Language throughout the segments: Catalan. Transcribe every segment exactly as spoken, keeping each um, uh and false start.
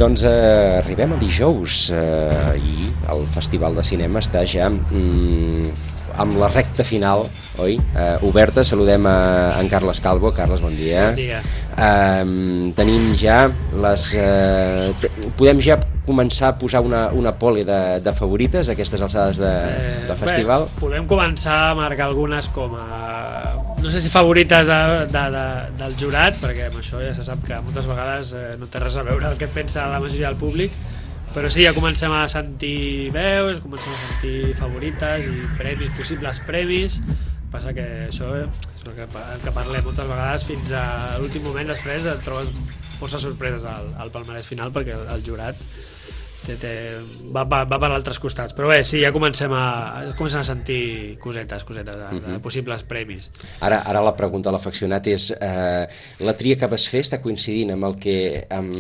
Doncs eh, arribem a dijous eh, i el Festival de Cinema està ja mm, amb la recta final, oi? Eh, oberta. Saludem a en Carles Calvo. Carles, bon dia. Bon dia. Eh, tenim ja les... Eh, podem ja començar a posar una, una pole de, de favorites a aquestes alçades de, Eh, del festival? Bé, podem començar a marcar algunes com a... no sé si favorites de, de, de, del jurat, perquè amb això ja se sap que moltes vegades eh, no té res a veure el que pensa la majoria del públic, però sí, ja comencem a sentir veus, comencem a sentir favorites i premis, possibles premis. Passa que això és el que, el que parlem moltes vegades, fins a l'últim moment després et trobes força sorpreses al, al palmarès final, perquè el, el jurat té, té, va, va, va per altres costats. Però bé, sí, ja comencem a, comencem a sentir cosetes, cosetes de, de possibles premis. Ara, ara la pregunta a l'afeccionat és eh, la tria que vas fer està coincidint amb el que amb,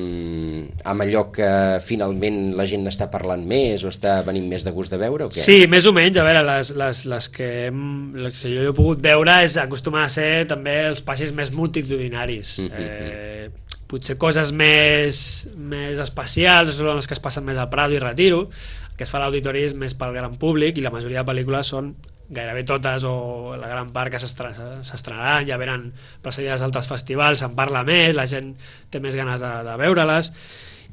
amb allò que finalment la gent està parlant més o està venint més de gust de veure o què? Sí, més o menys. A veure, les, les, les, que, hem, les que jo he pogut veure és, acostumen a ser també els passis més multitudinaris. Mm-hmm. eh, potser coses més, més especials són les que es passen més al Prado i Retiro. El que es fa a l'auditori és més pel gran públic i la majoria de pel·lícules són gairebé totes o la gran part que s'estrenaran, ja venen precedides d'altres festivals, se'n parla més, la gent té més ganes de, de veure-les.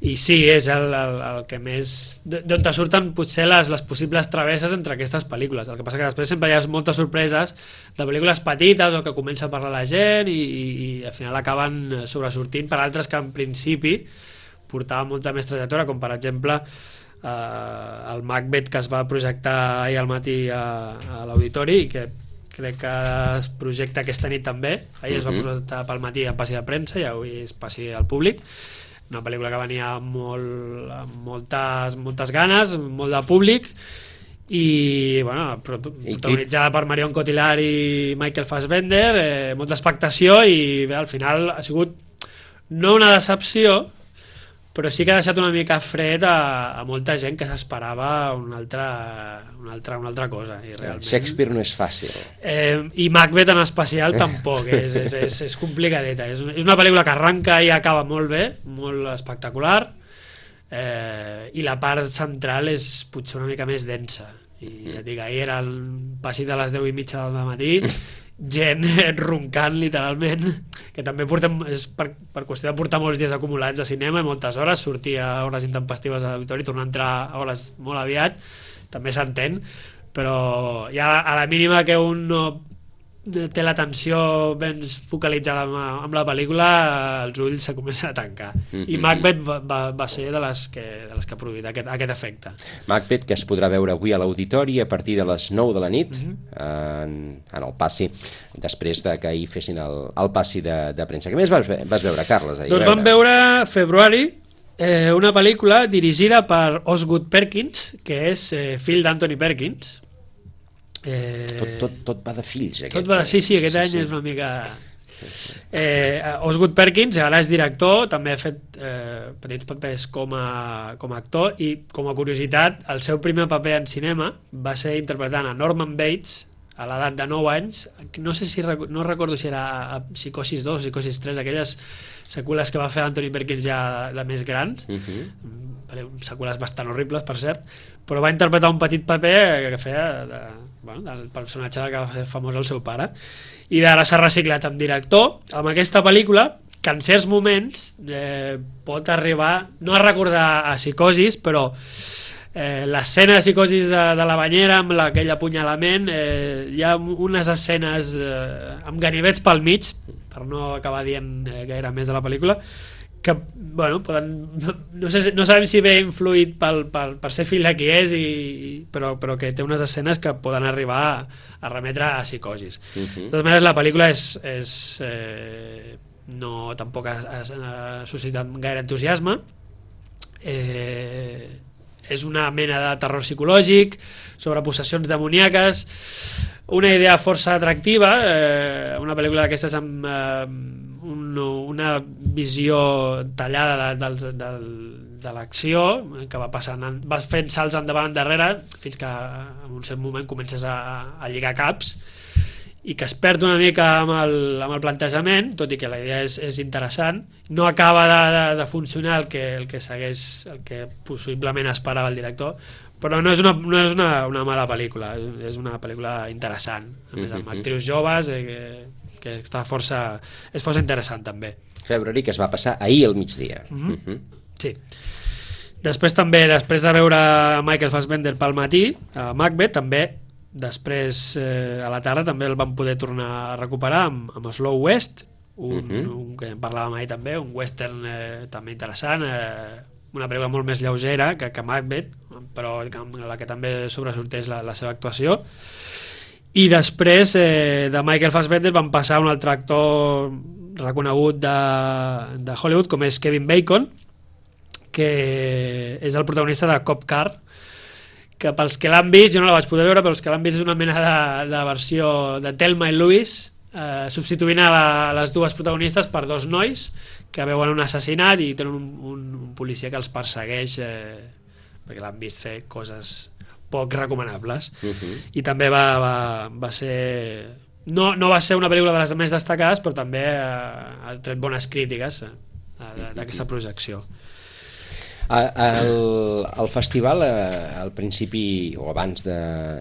I sí, és el, el, el que més... d'on te surten potser les, les possibles travesses entre aquestes pel·lícules. El que passa que després sempre hi ha moltes sorpreses de pel·lícules petites o que comença a parlar la gent i, i, i al final acaben sobresortint per altres que en principi portaven molta més trajectòria, com per exemple eh, el Macbeth, que es va projectar ahir al matí a, a l'auditori i que crec que es projecta aquesta nit també. Ahir es va projectar pel matí en passi de premsa i avui es passi al públic. Una pel·lícula que venia amb, molt, amb moltes, moltes ganes, molt de públic i, bueno, protagonitzada per Marion Cotillard i Michael Fassbender, eh, molta expectació i bé, al final ha sigut no una decepció, però sí que ha deixat una mica fred a, a molta gent que s'esperava una altra, una, altra, una altra cosa. I realment, Shakespeare no és fàcil. Eh, I Macbeth en especial tampoc, és, és, és, és complicadeta. És, és una pel·lícula que arranca i acaba molt bé, molt espectacular, eh, i la part central és potser una mica més densa. I ja et dic, ahir era el passit de les deu i mitja del matí, gent roncant literalment, que també portem, és per, per qüestió de portar molts dies acumulats de cinema i moltes hores, sortir a hores intempestives a l'auditori, tornar a entrar a hores molt aviat, també s'entén, però ja a la mínima que un no té l'atenció ben focalitzada amb, amb la pel·lícula, els ulls se comencen a tancar. Mm-hmm. I Macbeth va, va, va ser de les que, de les que ha produït aquest, aquest efecte. Macbeth, que es podrà veure avui a l'auditori a partir de les nou de la nit, mm-hmm. en, en el passi, després de que ahir fessin el, el passi de, de premsa. Què més vas, vas veure, Carles? Ahir doncs vam veure Februari, eh, una pel·lícula dirigida per Osgood Perkins, que és eh, fill d'Anthony Perkins. Eh, tot, tot, tot va de fills aquest tot va de, sí, sí, aquest sí, any sí. És una mica eh, Osgood Perkins ara és director, també ha fet eh, petits papers com a, com a actor i com a curiositat el seu primer paper en cinema va ser interpretant a Norman Bates a l'edat de nou anys, no sé si no recordo si era a Psicosis dos o Psicosis tres, aquelles seqüeles que va fer Anthony Perkins ja de més grans, uh-huh. seqüeles bastant horribles per cert, però va interpretar un petit paper que feia de, bueno, del personatge que va fer famós el seu pare, i ara s'ha reciclat amb director amb aquesta pel·lícula que en certs moments eh, pot arribar no a recordar a Psicosis, però eh, l'escena de Psicosis de, de la banyera amb la, aquell apunyalament, eh, hi ha unes escenes eh, amb ganivets pel mig, per no acabar dient eh, gaire més de la pel·lícula, que, bueno, poden, no, sé, no sabem si ve influït pel, pel, per ser fill de qui és, i, però, però que té unes escenes que poden arribar a, a remetre a Psicosis. Uh-huh. De totes maneres, la pel·lícula és, és, eh, no, tampoc ha, ha, ha suscitat gaire entusiasme. Eh, és una mena de terror psicològic sobre possessions demoníaques, una idea força atractiva, eh, una pel·lícula d'aquestes amb eh, un, una visió tallada de, de, de, de l'acció, que va passant, va fent salts endavant endarrere fins que en un cert moment comences a, a lligar caps i que es perd una mica amb el, amb el plantejament, tot i que la idea és, és interessant, no acaba de, de, de funcionar el que, el que segueix, el que possiblement esperava el director, però no és una, no és una, una mala pel·lícula, és una pel·lícula interessant, a més amb actrius joves, eh, que, que està força, és força interessant també. Februari, que es va passar ahir al migdia. Mm-hmm. Mm-hmm. Sí. Després també, després de veure Michael Fassbender pel matí, a Macbeth, també després eh, a la tarda també el vam poder tornar a recuperar amb, amb Slow West, un, uh-huh. un que en parlàvem ahir també, un western eh, també interessant, eh, una pel·lícula molt més lleugera que, que Macbeth, però en la que també sobresorteix la, la seva actuació. I després eh, de Michael Fassbender vam passar a un altre actor reconegut de, de Hollywood, com és Kevin Bacon, que és el protagonista de Cop Car, que pels que l'han vist, jo no la vaig poder veure, però els que l'han vist és una mena de, de versió de Thelma i Louise, eh, substituint a, la, a les dues protagonistes per dos nois que veuen un assassinat i tenen un, un, un policia que els persegueix eh, perquè l'han vist fer coses poc recomanables. Uh-huh. I també va, va, va ser... No, no va ser una pel·lícula de les més destacades, però també eh, ha tret bones crítiques eh, d'aquesta projecció. El, el festival, eh, al principi o abans de,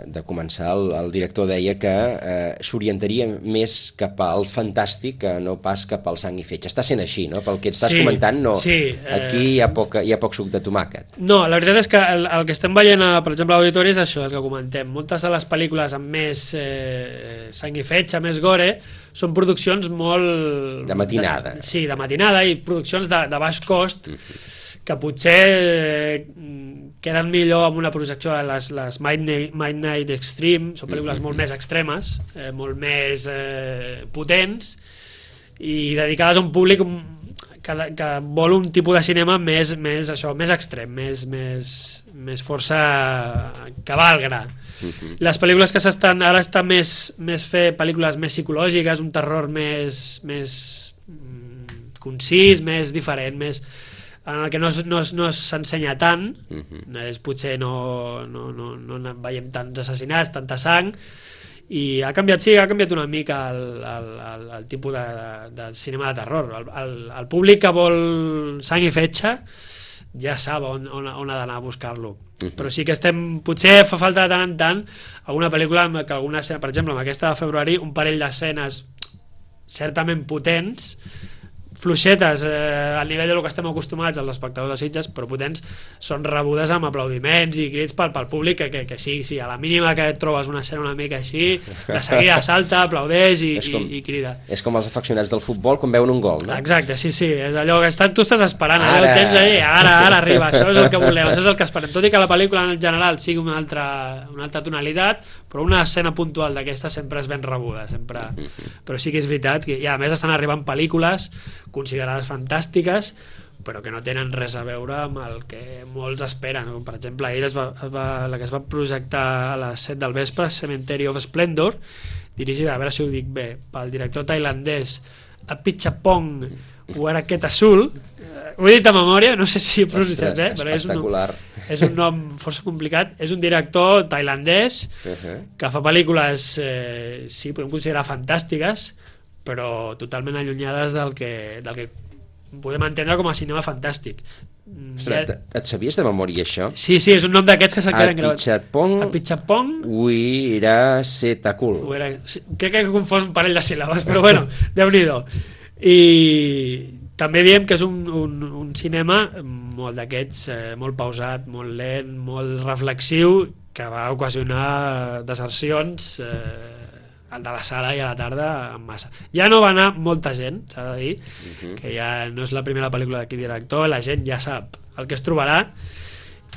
de començar, el, el director deia que eh, s'orientaria més cap al fantàstic que no pas cap al sang i fetge. Està sent així, no? Pel que estàs sí, comentant, no. Sí, aquí eh... hi ha, poc, hi ha poc suc de tomàquet. No, la veritat és que el, el que estem veient, a, per exemple, a l'auditori és això, el que comentem. Moltes de les pel·lícules amb més eh, sang i fetge, més gore, són produccions molt... De matinada. De, sí, de matinada i produccions de, de baix cost, uh-huh. que potser eh, queden millor amb una projecció de les, les Midnight, Midnight Extreme, són pel·lícules molt més extremes, eh, molt més eh, potents i dedicades a un públic que, que vol un tipus de cinema més, més, això, més extrem, més, més, més força cavalgra. Uh-huh. Les pel·lícules que s'estan ara estan més, més fer pel·lícules més psicològiques, un terror més, més mm, concís, més diferent, més... en el que no, no, no s'ensenya tant, uh-huh. és, potser no, no, no, no veiem tants assassinats, tanta sang, i ha canviat, sí, ha canviat una mica el, el, el, el tipus de, de, de cinema de terror. El, el, el públic que vol sang i fetge ja sap on, on, on ha d'anar a buscar-lo. Uh-huh. Però sí que estem, potser fa falta de tant en tant alguna pel·lícula en què alguna escena, per exemple, amb aquesta de februari, un parell d'escenes certament potents, fluixetes eh, al nivell del que estem acostumats els espectadors de Sitges, però potents, són rebudes amb aplaudiments i crits pel, pel públic que, que, que sí, sí, a la mínima que et trobes una escena una mica així, de seguida salta, aplaudeix i, com, i, i crida. És com els afeccionats del futbol quan veuen un gol, no? Exacte, sí, sí, és allò que estàs, tu estàs esperant, ara. Allò tens ahí, ara, ara arriba, això és el que volem, això és el que esperem, tot i que la pel·lícula en general sigui una altra, una altra tonalitat, però una escena puntual d'aquesta sempre és ben rebuda, sempre, però sí que és veritat que, i a més estan arribant pel·lícules considerades fantàstiques però que no tenen res a veure amb el que molts esperen, com per exemple ahir es va, es va, la que es va projectar a les set del vespre, Cemetery of Splendor, dirigida, a veure si ho dic bé, pel director tailandès Apichatpong Weerasethakul, ho he dit a memòria, no sé si he pronunciat bé, però és un, és un nom força complicat, és un director tailandès uh-huh. que fa pel·lícules eh, sí, podem considerar fantàstiques, però totalment allunyades del que, del que podem entendre com a cinema fantàstic. Ostres, et, et sabies de memòria això? Sí, sí, és un nom d'aquests que se'n queden gravats. Apichatpong Apichatpong Weerasethakul. Sí, crec que he confós un parell de síl·labes, però bueno, Déu-n'hi-do. I també diem que és un, un, un cinema molt d'aquests, eh, molt pausat, molt lent, molt reflexiu, que va ocasionar desercions eh, de la sala i a la tarda en massa. Ja no va anar molta gent, s'ha de dir, uh-huh. que ja no és la primera pel·lícula d'aquest director, la gent ja sap el que es trobarà,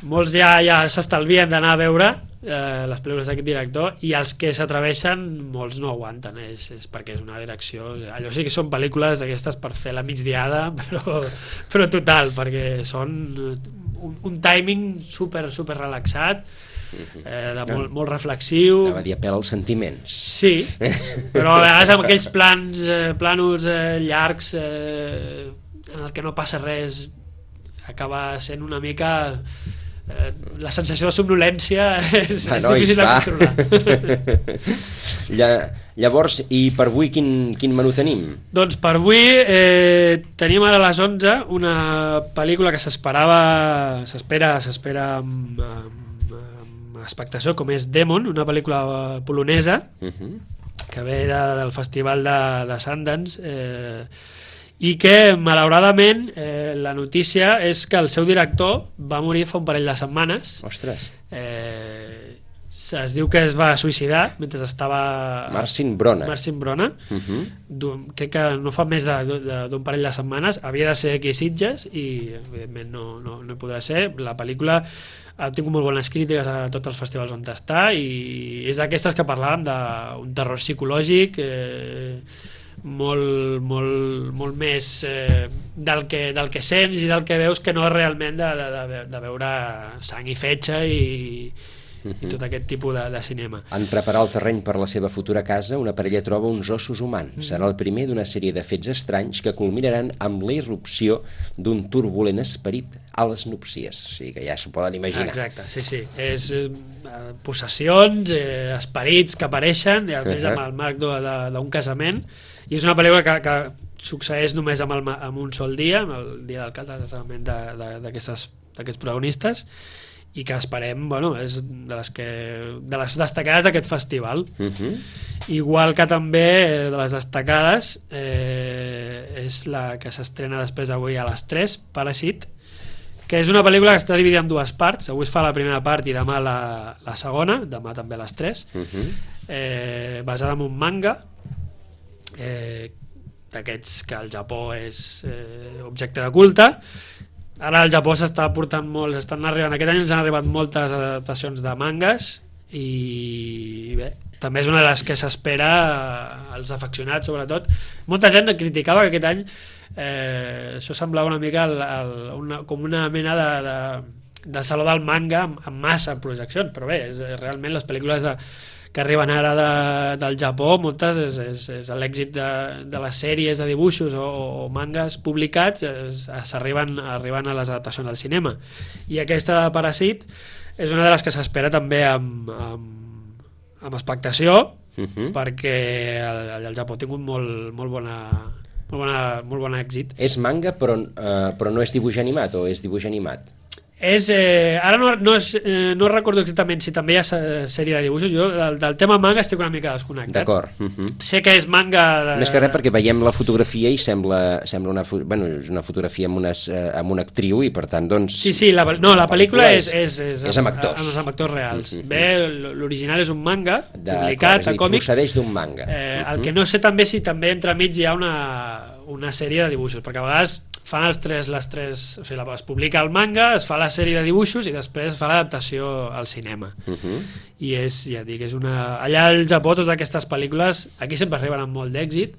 molts ja, ja s'estalvien d'anar a veure eh, les pel·lícules d'aquest director i els que s'atreveixen molts no aguanten, és, és perquè és una direcció, allò sí que són pel·lícules d'aquestes per fer la migdiada, però, però total, perquè són un, un timing super, super relaxat, Eh, de molt, molt reflexiu, anava a dir apel als sentiments, sí, però a vegades amb aquells plans eh, planos eh, llargs eh, en el que no passa res acaba sent una mica eh, la sensació de somnolència és, va, és nois, difícil de va. controlar. Lla, llavors, i per avui quin, quin menú tenim? Doncs per avui eh, tenim ara a les onze una pel·lícula que s'esperava s'espera s'espera amb, amb, amb expectació, com és Demon, una pel·lícula polonesa uh-huh. que ve de, del festival de, de Sundance, eh, i que malauradament eh, la notícia és que el seu director va morir fa un parell de setmanes. Ostres. Eh, es diu que es va suïcidar mentre estava... Marcin Brona. Marcin Brona. Uh-huh. Crec que no fa més d'un parell de setmanes. Havia de ser aquí a Sitges i evidentment no, no, no hi podrà ser. La pel·lícula ha tingut molt bones crítiques a tots els festivals on està i és d'aquestes que parlàvem d'un terror psicològic eh, molt, molt, molt més eh, del, que, del que sents i del que veus, que no és realment de, de, de, de veure sang i fetge i, uh-huh. i tot aquest tipus de, de cinema. En preparar el terreny per la seva futura casa, una parella troba uns ossos humans. Mm. Serà el primer d'una sèrie de fets estranys que culminaran amb la irrupció d'un turbulent esperit a les núpcies. O sigui que ja s'ho poden imaginar. Exacte, sí, sí. És eh, possessions, eh, esperits que apareixen, i a més uh-huh. amb el marc d'un casament. I és una pel·lícula que, que succeeix només amb, el, amb un sol dia, amb el dia del casament d'aquests protagonistes, i que esperem, bueno, és de les, que, de les destacades d'aquest festival. Uh-huh. Igual que també de les destacades eh, és la que s'estrena després d'avui a les tres, Parasite, que és una pel·lícula que està dividida en dues parts. Avui es fa la primera part i demà la, la segona, demà també a les tres, uh-huh. eh, basada en un manga eh, d'aquests que al Japó és eh, objecte de culte. Ara al Japó s'està portant molt, estan arribant, aquest any ens han arribat moltes adaptacions de mangas i bé, també és una de les que s'espera als afeccionats sobretot. Molta gent criticava que aquest any eh, això semblava una mica el, el, una, com una mena de, de, de saló del manga amb, amb massa projeccions, però bé, és, realment les pel·lícules de que arriben ara de, del Japó, moltes és, és, és l'èxit de, de les sèries de dibuixos o, o mangas publicats s'arriben arriben a les adaptacions del cinema, i aquesta de Parasite és una de les que s'espera també amb, amb, amb expectació, uh-huh. perquè el, el Japó ha tingut molt, molt bona molt, bona, molt bon èxit. És manga però, uh, però no és dibuix animat o és dibuix animat? És, eh, ara no, no, és, eh, no recordo exactament si també hi ha sèrie de dibuixos. Jo del, del tema manga estic una mica desconnectat. D'acord. Uh-huh. Sé que és manga de... Més que res perquè veiem la fotografia i sembla, sembla una, bueno, és una fotografia amb, unes, eh, amb una actriu i per tant doncs... Sí, sí, la, no, la pel·lícula és, és, és, és amb actors. Amb, amb actors reals. Uh-huh. Bé, l'original és un manga publicat a còmic. Procedeix d'un manga. Eh, uh-huh. El que no sé també si també entremig hi ha una, una sèrie de dibuixos, perquè a vegades fan els tres, les tres, o sigui, es publica el manga, es fa la sèrie de dibuixos i després es fa l'adaptació al cinema. Uh-huh. I és, ja dic, és una... Allà al Japó totes aquestes pel·lícules, aquí sempre arriben amb molt d'èxit,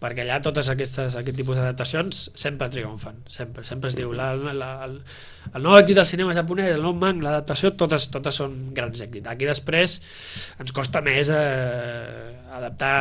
perquè allà totes aquestes, aquest tipus d'adaptacions sempre triomfen, sempre, sempre es diu la, la, el, el nou èxit del cinema japonès, el nou manga, l'adaptació, totes, totes són grans èxits. Aquí després ens costa més eh, adaptar,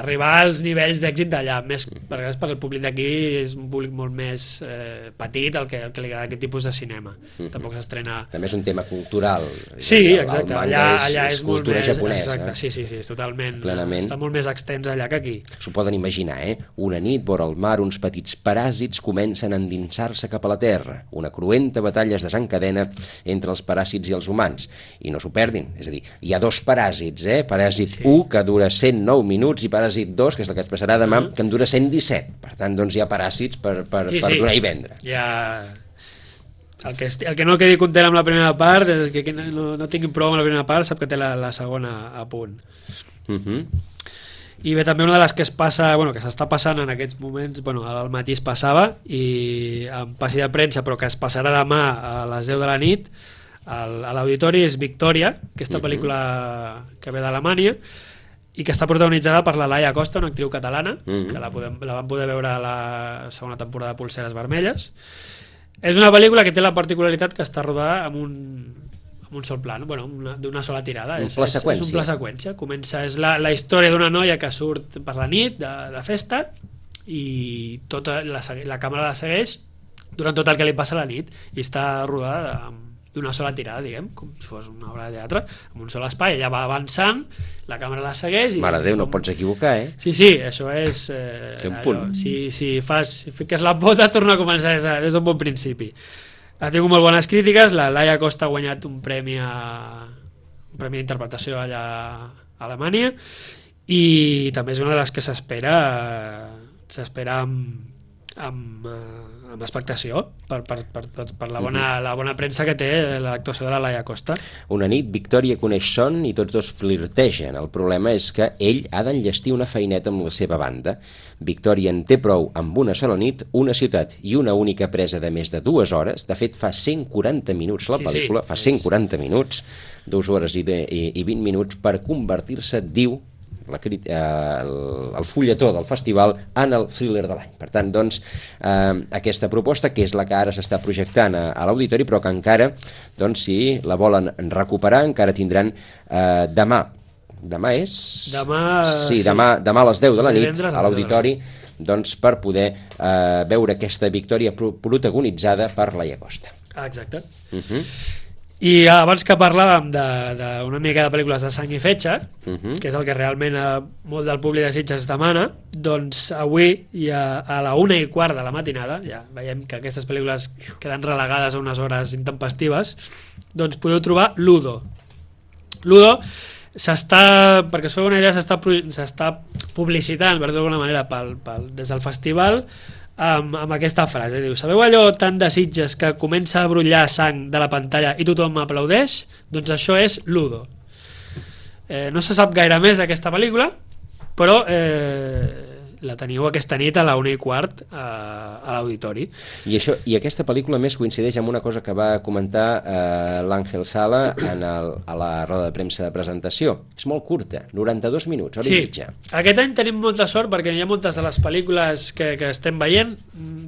arribar als nivells d'èxit d'allà, més perquè, perquè el públic d'aquí és un públic molt més eh, petit, el que, el que li agrada aquest tipus de cinema. Uh-huh. Tampoc s'estrena... També és un tema cultural. Sí, exacte, el allà, és, allà és, és molt més... Japonesa. Exacte, sí, sí, sí, és totalment... Plenament. Està molt més extens allà que aquí. S'ho poden imaginar, eh? Una nit, vora el mar, uns petits paràsits comencen a endinsar-se cap a la Terra. Una cruenta batalla es desencadena entre els paràsits i els humans. I no s'ho perdin, és a dir, hi ha dos paràsits, eh? Paràsit sí. u, que dura cent nou minuts, i Paràsit dos, que és el que es passarà demà, uh-huh. que en dura cent disset. Per tant, doncs hi ha paràsits per, per, sí, per sí. donar i vendre. Ja... El que, el que no quedi content amb la primera part, el que no, no tingui prou amb la primera part, sap que té la, la segona a punt. Uh-huh. I bé, també una de les que es passa, bueno, que s'està passant en aquests moments, bueno, al matí es passava, i en passi de premsa, però que es passarà demà a les deu de la nit, al, a l'auditori, és Victòria, aquesta uh-huh. pel·lícula que ve d'Alemanya, i que està protagonitzada per la Laia Costa, una actriu catalana, uh-huh. que la, podem, la vam poder veure a la segona temporada de Polseres Vermelles. És una pel·lícula que té la particularitat que està rodada amb un, amb un sol pla, bueno, d'una sola tirada. Un és, pla seqüència. És un pla seqüència. Comença, és la, la història d'una noia que surt per la nit de, de festa i tota la, la càmera la segueix durant tot el que li passa a la nit i està rodada amb d'una sola tirada, diguem, com si fos una obra de teatre, amb un sol espai, ella va avançant, la càmera la segueix... I Mare de Déu, som... no pots equivocar, eh? Sí, sí, això és... Eh, un punt. allò, si, si, fas, si fiques la pota, torna a començar des, de, des d'un bon principi. Ha tingut molt bones crítiques, la Laia Costa ha guanyat un premi a, un premi d'interpretació allà a Alemanya, i també és una de les que s'espera s'espera amb, amb, amb expectació per, per, per, per la, bona, la bona premsa que té l'actuació de la Laia Costa. Una nit, Victòria coneix Son i tots dos flirtegen. El problema és que ell ha d'enllestir una feineta amb la seva banda. Victòria en té prou amb una sola nit, una ciutat i una única presa de més de dues hores. De fet, fa cent quaranta minuts la pel·lícula, sí, sí, fa cent quaranta minuts, dues hores i, de, i, i vint minuts per convertir-se, diu, La, eh, el, el fulletó del festival en el thriller de l'any. Per tant, doncs, eh, aquesta proposta, que és la que ara s'està projectant a, a l'auditori, però que encara, doncs, si la volen recuperar, encara tindran eh, demà. Demà és? Demà... Sí, sí. Demà, demà a les deu de la nit, Divendres a l'auditori, doncs, per poder eh, veure aquesta victòria pro protagonitzada per Laia Costa. Ah, exacte. Uh -huh. I abans que parlàvem d'una mica de pel·lícules de sang i fetge, uh -huh. que és el que realment eh, molt del públic de Sitges demana, doncs avui i a, a la una i quart de la matinada, ja veiem que aquestes pel·lícules queden relegades a unes hores intempestives, doncs podeu trobar Ludo. Ludo s'està, perquè us feu una idea, s'està publicitant, per dir-ho d'alguna manera, pel, pel, des del festival, Amb, amb aquesta frase, diu: sabeu allò tan de Sitges que comença a brollar sang de la pantalla i tothom aplaudeix? Doncs això és Ludo. Eh, no se sap gaire més d'aquesta pel·lícula, però eh, la teniu aquesta nit a la una i quart a, a l'auditori. I, això, I aquesta pel·lícula més coincideix amb una cosa que va comentar eh, l'Àngel Sala en el, a la roda de premsa de presentació. És molt curta, noranta-dos minuts, hora sí. i mitja. Aquest any tenim molta sort perquè hi ha moltes de les pel·lícules que, que estem veient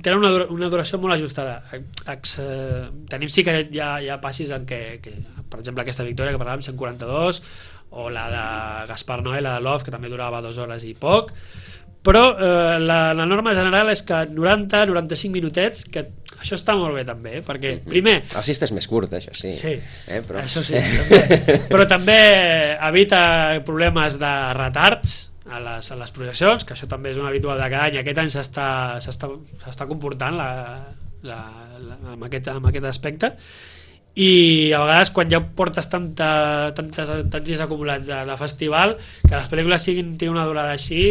tenen una, una duració molt ajustada. Ex, eh, tenim sí que hi ha, hi ha passis en què, que, per exemple, aquesta Victòria que parlàvem, cent quaranta-dos, o la de Gaspar Noé, la de Love, que també durava dues hores i poc, però eh, la, la norma general és que noranta a noranta-cinc minutets, que això està molt bé també, perquè primer... El Sista és més curt, això sí. Sí, eh, però... això sí, també. Però també evita problemes de retards a les, a les projeccions, que això també és un habitual de cada any. Aquest any s'està comportant la, la, la, amb, aquest, amb aquest aspecte, i a vegades quan ja portes tanta, tantes, tants dies acumulats de, de festival, que les pel·lícules siguin una durada així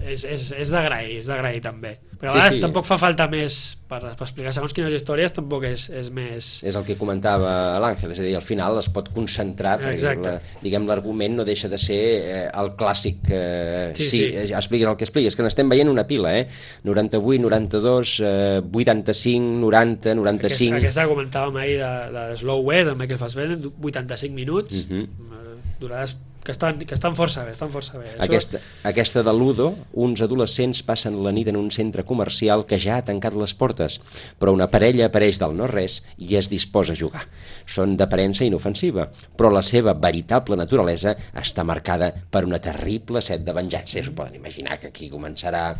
és, és, és d'agrair, és d'agrair també, però a vegades sí, sí. tampoc fa falta més per, per explicar segons quines històries, tampoc és, és més... És el que comentava l'Àngel, és a dir, al final es pot concentrar, perquè la, diguem, l'argument no deixa de ser eh, el clàssic, eh, sí, sí, sí. expliquis el que expliquis, que n'estem veient una pila, eh? noranta-vuit, noranta-dos, eh, vuitanta-cinc, noranta, noranta-cinc... Aquesta, aquesta comentàvem ahir de, de Slow West, amb Michael Fassbender, vuitanta-cinc minuts, uh -huh. durades que estan, que estan força bé, estan força bé. Aquesta, aquesta de Ludo, uns adolescents passen la nit en un centre comercial que ja ha tancat les portes, però una parella apareix del no-res i es disposa a jugar. Són d'aparença inofensiva, però la seva veritable naturalesa està marcada per una terrible set de venjança. Us poden imaginar que aquí començarà...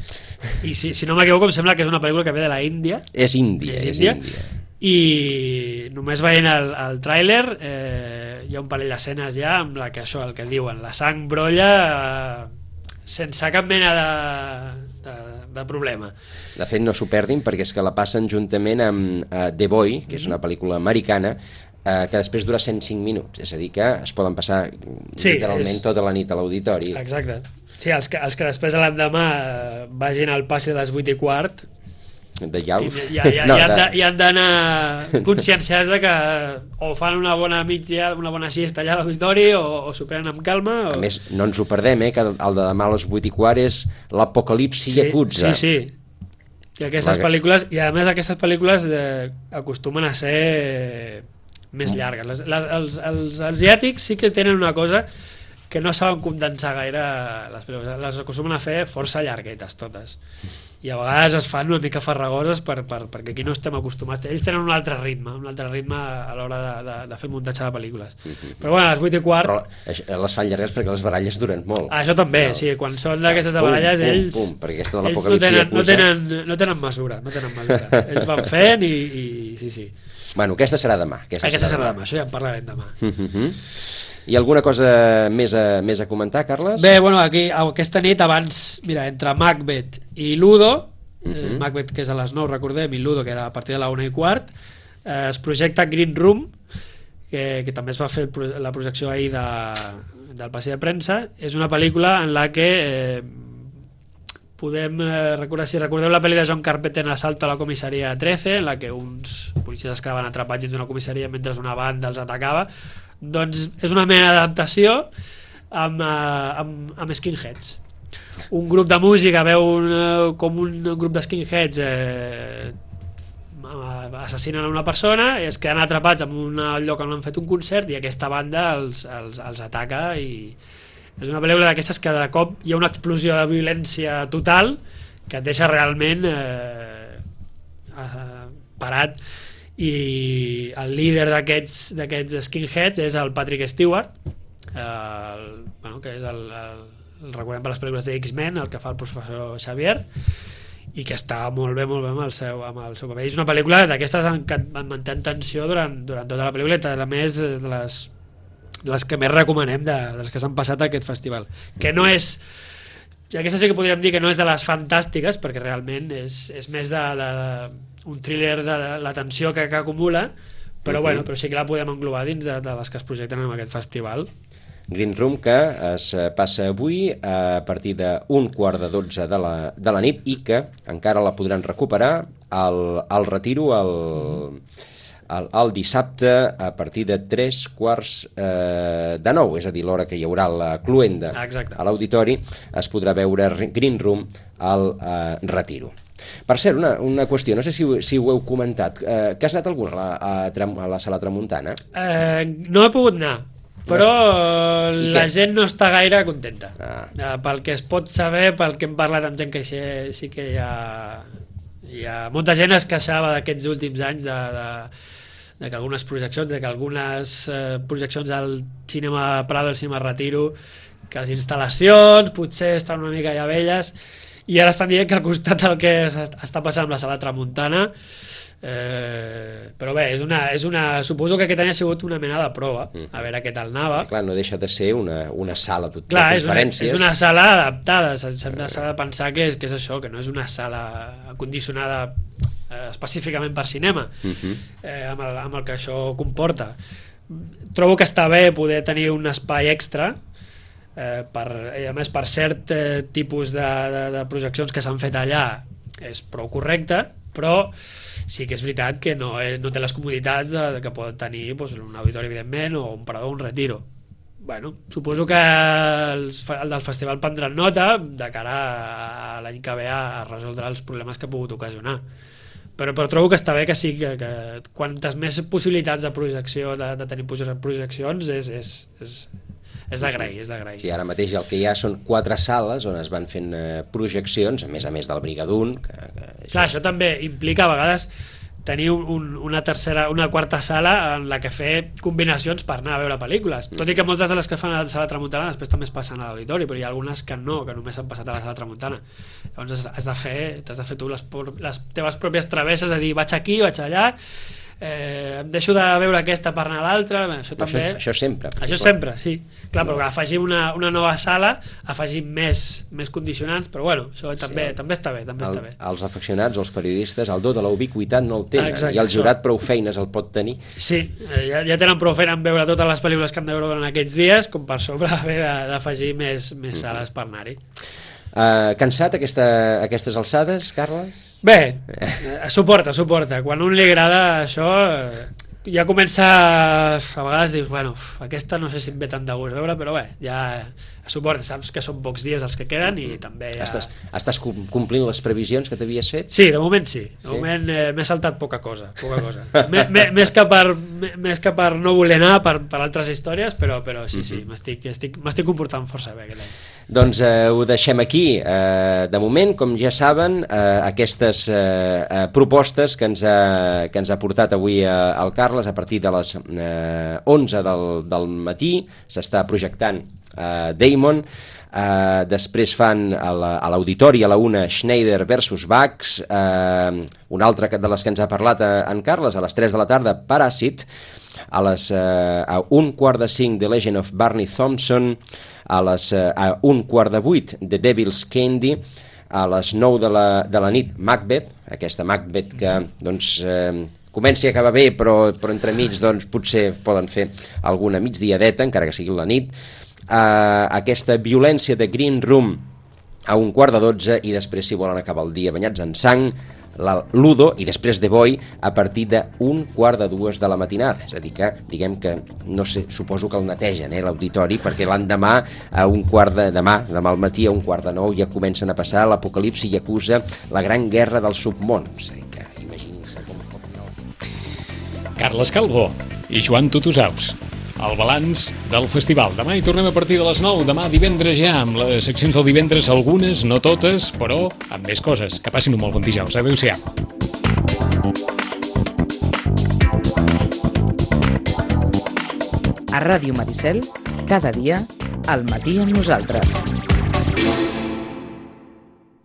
I si, si no m'equivoco, em sembla que és una pel·lícula que ve de la Índia. És Índia, és, és Índia. Índia. I només veient el, el tràiler eh, hi ha un parell d'escenes ja amb la que això, el que diuen, la sang brolla eh, sense cap mena de, de, de problema. De fet no s'ho perdin perquè és que la passen juntament amb uh, The Boy, que és una pel·lícula americana eh, que després dura cent cinc minuts, és a dir que es poden passar sí, literalment és... tota la nit a l'auditori. Exacte, sí, els que, els que després a l'endemà vagin al passi de les vuit i quart de llaus. I, i, i, no, i han d'anar conscienciats de que o fan una bona mitja, una bona siesta allà a l'auditori o, o s'ho prenen amb calma. O... A més, no ens ho perdem, eh, que el de demà a les vuit i quart és l'apocalipsi sí, Yakuza. Sí, sí. I aquestes la... pel·lícules, i a més aquestes pel·lícules eh, acostumen a ser més llargues. Les, les, els, els asiàtics sí que tenen una cosa que no saben condensar gaire les pel·lícules, les acostumen a fer força llarguetes totes. I a vegades es fan una mica farragoses per, per, perquè aquí no estem acostumats. Ells tenen un altre ritme, un altre ritme a l'hora de, de, de fer el muntatge de pel·lícules. Mm-hmm. Però bueno, a les vuit i quart... Però les fan llargues perquè les baralles duren molt. Ah, això també, no. Sí, quan són d'aquestes de baralles, pum, ells, pum, pum, ells no, tenen, no, tenen, no tenen mesura, no tenen mesura. Ells van fent i, i sí, sí. Bueno, aquesta serà demà. Aquesta, aquesta serà demà. demà, això ja en parlarem demà. Uh-huh. I alguna cosa més a, més a comentar, Carles? Bé, bueno, aquí, aquesta nit abans, mira, entre Macbeth i Ludo, uh-huh. eh, Macbeth que és a les nou, recordem, i Ludo que era a partir de la una i quart, eh, es projecta Green Room, que, que també es va fer la projecció ahir de, del passeig de premsa. És una pel·lícula en la que eh, podem eh, recordar, si recordeu la pel·li de John Carpenter Assalto a la comissaria trece, en la que uns policies es quedaven atrapats dins d'una comissaria mentre una banda els atacava, doncs és una mena d'adaptació amb, amb, amb skinheads. Un grup de música veu un, com un grup de skinheads eh, assassinen una persona i es queden atrapats en un lloc on han fet un concert i aquesta banda els, els, els ataca i és una pel·lícula d'aquestes que de cop hi ha una explosió de violència total que et deixa realment eh, parat. I el líder d'aquests d'aquests skinheads és el Patrick Stewart, el, bueno, que és el, el, el recordem per les pel·lícules de X-Men, el que fa el professor Xavier, i que està molt bé, molt bé amb el seu, amb el seu paper. És una pel·lícula d'aquestes que et manté en tensió durant, durant tota la pel·lícula, i a més de les, de les que més recomanem de, de les que s'han passat a aquest festival, que no és, ja aquesta sí que podríem dir que no és de les fantàstiques, perquè realment és, és més de, de, de un thriller de la tensió que, que acumula, però, uh-huh. bueno, però sí que la podem englobar dins de, de les que es projecten en aquest festival. Green Room, que es passa avui a partir d'un quart de dotze de la, de la nit i que encara la podran recuperar al, al Retiro el, el, el dissabte a partir de tres quarts eh, de nou, és a dir, l'hora que hi haurà la cluenda Exacte. A l'auditori, es podrà veure Green Room al eh, Retiro. Per cert, una, una qüestió, no sé si, si ho heu comentat, eh, que has anat algun a, a, a la Sala Tramuntana? Eh, no he pogut anar, però no, la gent no està gaire contenta. Ah. Eh, pel que es pot saber, pel que hem parlat amb gent que sí, sí que hi ha, hi ha... Molta gent es queixava d'aquests últims anys de, de, de que algunes projeccions, de que algunes eh, projeccions al cinema Prado, al cinema Retiro, que les instal·lacions potser estan una mica ja velles, i ara estan dient que al costat del que està passant amb la Sala Tramuntana, eh, però bé, és una, és una, suposo que aquest any ha sigut una mena de prova, a veure què tal anava. Clar, no deixa de ser una, una sala tot, Clar, de conferències. És una, és una sala adaptada, s'ha de pensar que és, que és això, que no és una sala condicionada eh, específicament per cinema, uh-huh. eh, amb, el, amb el que això comporta. Trobo que està bé poder tenir un espai extra, Eh, per, a més per cert eh, tipus de, de, de projeccions que s'han fet allà és prou correcte, però sí que és veritat que no, eh, no té les comoditats de, de que pot tenir doncs, un auditori evidentment o un parador o un retiro. Bueno, suposo que els, el del festival prendran nota de cara a l'any que ve a, a resoldre els problemes que ha pogut ocasionar, però, però trobo que està bé que sí que, que quantes més possibilitats de projecció de, de tenir projeccions és, és, és és d'agrair, és d'agrair. Sí, ara mateix el que hi ha són quatre sales on es van fent eh, projeccions, a més a més del Brigadoon. Que, que això... Clar, això també implica a vegades tenir un, una tercera, una quarta sala en la que fer combinacions per anar a veure pel·lícules. Mm. Tot i que moltes de les que fan a la Sala Tramuntana després també es passen a l'auditori, però hi ha algunes que no, que només s'han passat a la Sala Tramuntana. Llavors has de fer, t'has de fer tu les, les teves pròpies travesses, a dir, vaig aquí, vaig allà, eh, em deixo de veure aquesta per anar a l'altra, això també... Això, això sempre. Això sempre, sí. Clar, però afegir una, una nova sala, afegir més, més condicionants, però bueno, això també, sí, també està bé, també el, està bé. Els afeccionats, els periodistes, el do de la ubiquitat no el tenen, exacte, i el jurat això. Prou feines el pot tenir. Sí, ja, ja tenen prou feina en veure totes les pel·lícules que han de veure durant aquests dies, com per sobre haver d'afegir més, més sales mm. per anar-hi. Uh, cansat aquesta, aquestes alçades, Carles? Bé, eh, suporta, suporta. Quan a un li agrada això, eh, ja comença, a vegades dius, bueno, uf, aquesta no sé si em ve tant de gust veure, però bé, ja suporta, saps que són pocs dies els que queden i també ja... Estàs, estàs complint les previsions que t'havies fet? Sí, de moment sí. De sí? moment eh, m'he saltat poca cosa, poca cosa. m més, que per, més que per no voler anar per, per altres històries, però, però sí, sí, m'estic estic, m'estic comportant força bé aquest any. Doncs eh, ho deixem aquí. Eh, de moment, com ja saben, eh, aquestes eh, eh, propostes que ens, ha, que ens ha portat avui eh, el Carles a partir de les eh, onze del, del matí, s'està projectant eh, Damon, Uh, després fan a l'auditori a la una Schneider versus Bax, uh, una altra de les que ens ha parlat en Carles, a les tres de la tarda Paràsit, a les uh, a un quart de cinc The Legend of Barney Thompson, a les uh, a un quart de vuit The Devil's Candy, a les nou de la, de la nit Macbeth, aquesta Macbeth que doncs uh, comenci a acabar bé, però, però entremig doncs, potser poden fer alguna migdiadeta, encara que sigui la nit. Uh, aquesta violència de Green Room a un quart de dotze, i després, si volen acabar el dia banyats en sang, la Ludo, i després The Boy a partir d'un quart de dues de la matinada. És a dir que, diguem que, no sé, suposo que el netegen, eh, l'auditori, perquè l'endemà a un quart de demà, demà al matí a un quart de nou ja comencen a passar l'apocalipsi i acusa la gran guerra del submón. És a dir que, imaginin-se com... Carles Calvo i Joan Tutusaus. El balanç del festival. Demà hi tornem a partir de les nou. Demà divendres ja, amb les seccions del divendres, algunes, no totes, però amb més coses. Que passin un molt bon dijous. Adéu-siau. A Ràdio Maricel, cada dia, al matí amb nosaltres.